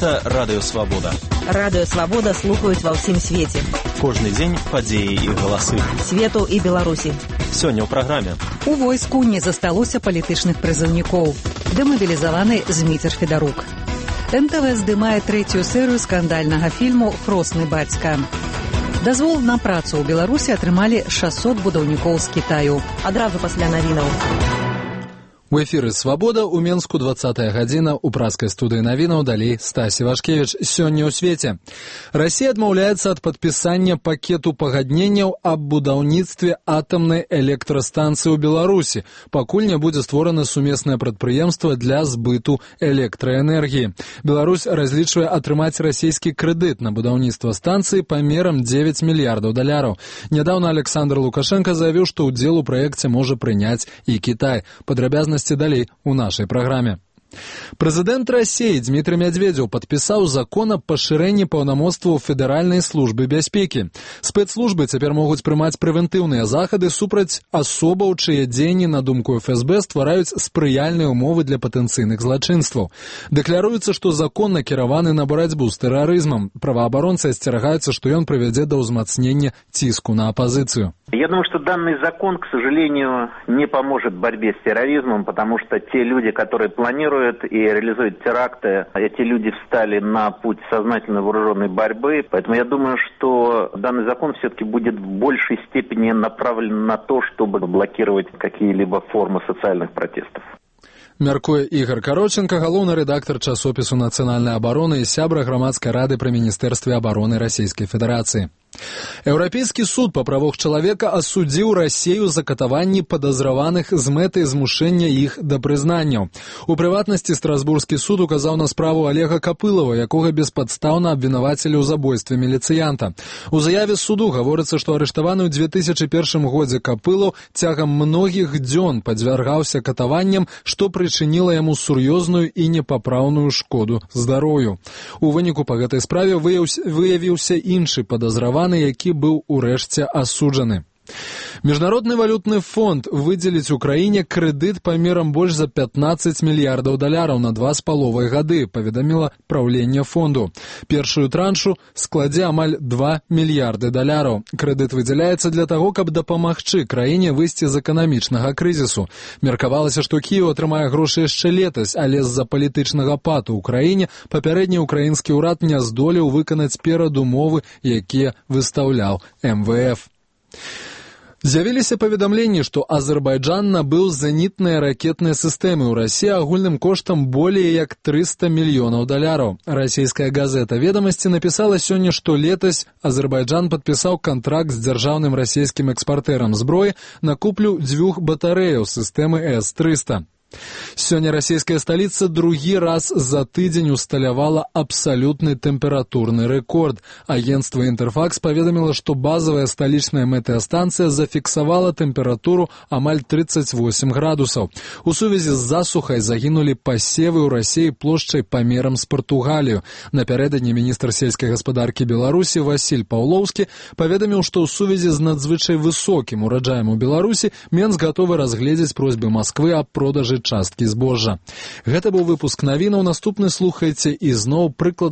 Гэта Радыё Свабода. Радыё Свабода слухаюць ва ўсім свеце. Кожны дзень падзеі і галасы. Свету і Беларусі. Сёння ў праграме. У войску не засталося палітычных прызыўнікоў. Дэмабілізаваны Зміцер Федарук. НТВ здымае трэцюю серыю скандальнага фільму «Хросны бацька». Дазвол на працу ў Беларусі атрымалі 600 будаўнікоў з Кітаю. Адразу пасля навінаў. У эфіры «Свабода» у Менску 20-я гадзіна, у праскай студыі навінаў далей Стась Івашкевіч. Сёння ў свеце. Расія адмаўляецца ад падпісання пакету пагадненняў аб будаўніцтве атамнай электрастанцыі ў Беларусі, пакуль не будзе створана сумеснае прадпрыемства для збыту электраэнергіі. Беларусь разлічвае атрымаць расійскі крэдыт на будаўніцтва станцыі памерам 9 мільярдаў даляраў. Нядаўна Александр Лукашенко заявіў, што ўдзел у праекце можа прыняць і Кітай. Падрабязнасці далей у нашай праграме. Прэзідэнт Расіі Дмітрый Медведзеў падпісаў закон аб пашырэнні паўнамоцтваў Федэральнай службы бяспекі. Спецслужбы цяпер могуць прымаць прэвентыўныя захады супраць асобаў, чые дзеянні, на думку ФСБ, ствараюць спрыяльныя ўмовы для патэнцыйных злачынстваў. Дэкляруецца, што закон накіраваны на барацьбу з тэрарызмам. Праваабаронцы асцерагаюцца, што ён прывядзе да ўзмацнення ціску на апозицию. Я думаю, что данный закон, к сожалению, не поможет в борьбе с терроризмом, потому что те люди, которые планируют и реализуют теракты, эти люди встали на путь сознательной вооруженной борьбы. Поэтому я думаю, что данный закон все-таки будет в большей степени направлен на то, чтобы блокировать какие-либо формы социальных протестов. Мяркуе Ігор Кароченко, галоўны рэдактар часопісу «Нацыянальная абарона» і сябра грамадскай рады пры Міністэрстве абароны Расійскай Федэрацыі. Еўрапейскі суд па правах чалавека асудзіў Расію за катаванні падазраваных з мэтай змушэння іх да прызнанняў. У прыватнасці Страсбургскі суд указаў на справу Олега Капылова, якога беспадстаўна абвінавацілі ў забойстве міліцыянта. У заяве суду гаворыцца, што арыштаваны ў 2001 годзе Капылаў цягам многіх дзён падвяргаўся катаванням, што прычыніла яму сур'ёзную і непапраўную шкоду здароўю. У выніку па гэтай справе выявіўся іншы падазраваны, які быў урэшце асуджаны. Міжнародны валютны фонд выдзеліць Украіне крэдыт памерам больш за 15 мільярдаў даляраў на 2,5 гады, паведаміла праўленне фонду. Першую траншу складзе амаль 2 мільярды даляраў. Крэдыт выдзяляецца для таго, каб дапамагчы краіне выйсці з эканамічнага крызісу. Меркавалася, што Кіеў атрымае грошы яшчэ летась, але з-за палітычнага пату ў краіне папярэдні ўкраінскі ўрад не здолеў выканаць перадумовы, якія выстаўляў МВФ. З'явіліся паведамленні, што Азербайджан набыў зенітныя ракетныя сістэмы ў Расіі агульным коштам болей як 300 мільёнаў даляраў. Расійская газета «Ведамасці» напісала сёння, што летась Азербайджан падпісаў кантракт з дзяржаўным расійскім экспартэрам зброі на куплю 2 батарэяў сістэмы С-300. Сёння расійская сталіца другі раз за тыдзень усталявала абсалютны тэмпературны рэкорд. Агенцтва «Інтэрфакс» паведаміла, што базавая сталічная метэастанцыя зафіксавала тэмпературу амаль 38 градусаў. У сувязі з засухай загінулі пасевы ў Расіі плошчай памерам з Партугалію. Напярэдадні міністр сельскай гаспадаркі Беларусі Васіль Паўлоўскі паведаміў, што ў сувязі з надзвычай высокім ураджаем у Беларусі Менск гатовы разгледзець просьбы Масквы аб продажы часткі збожжа. Гэта быў выпуск навінаў. Наступны слухайце і зноў прыкладна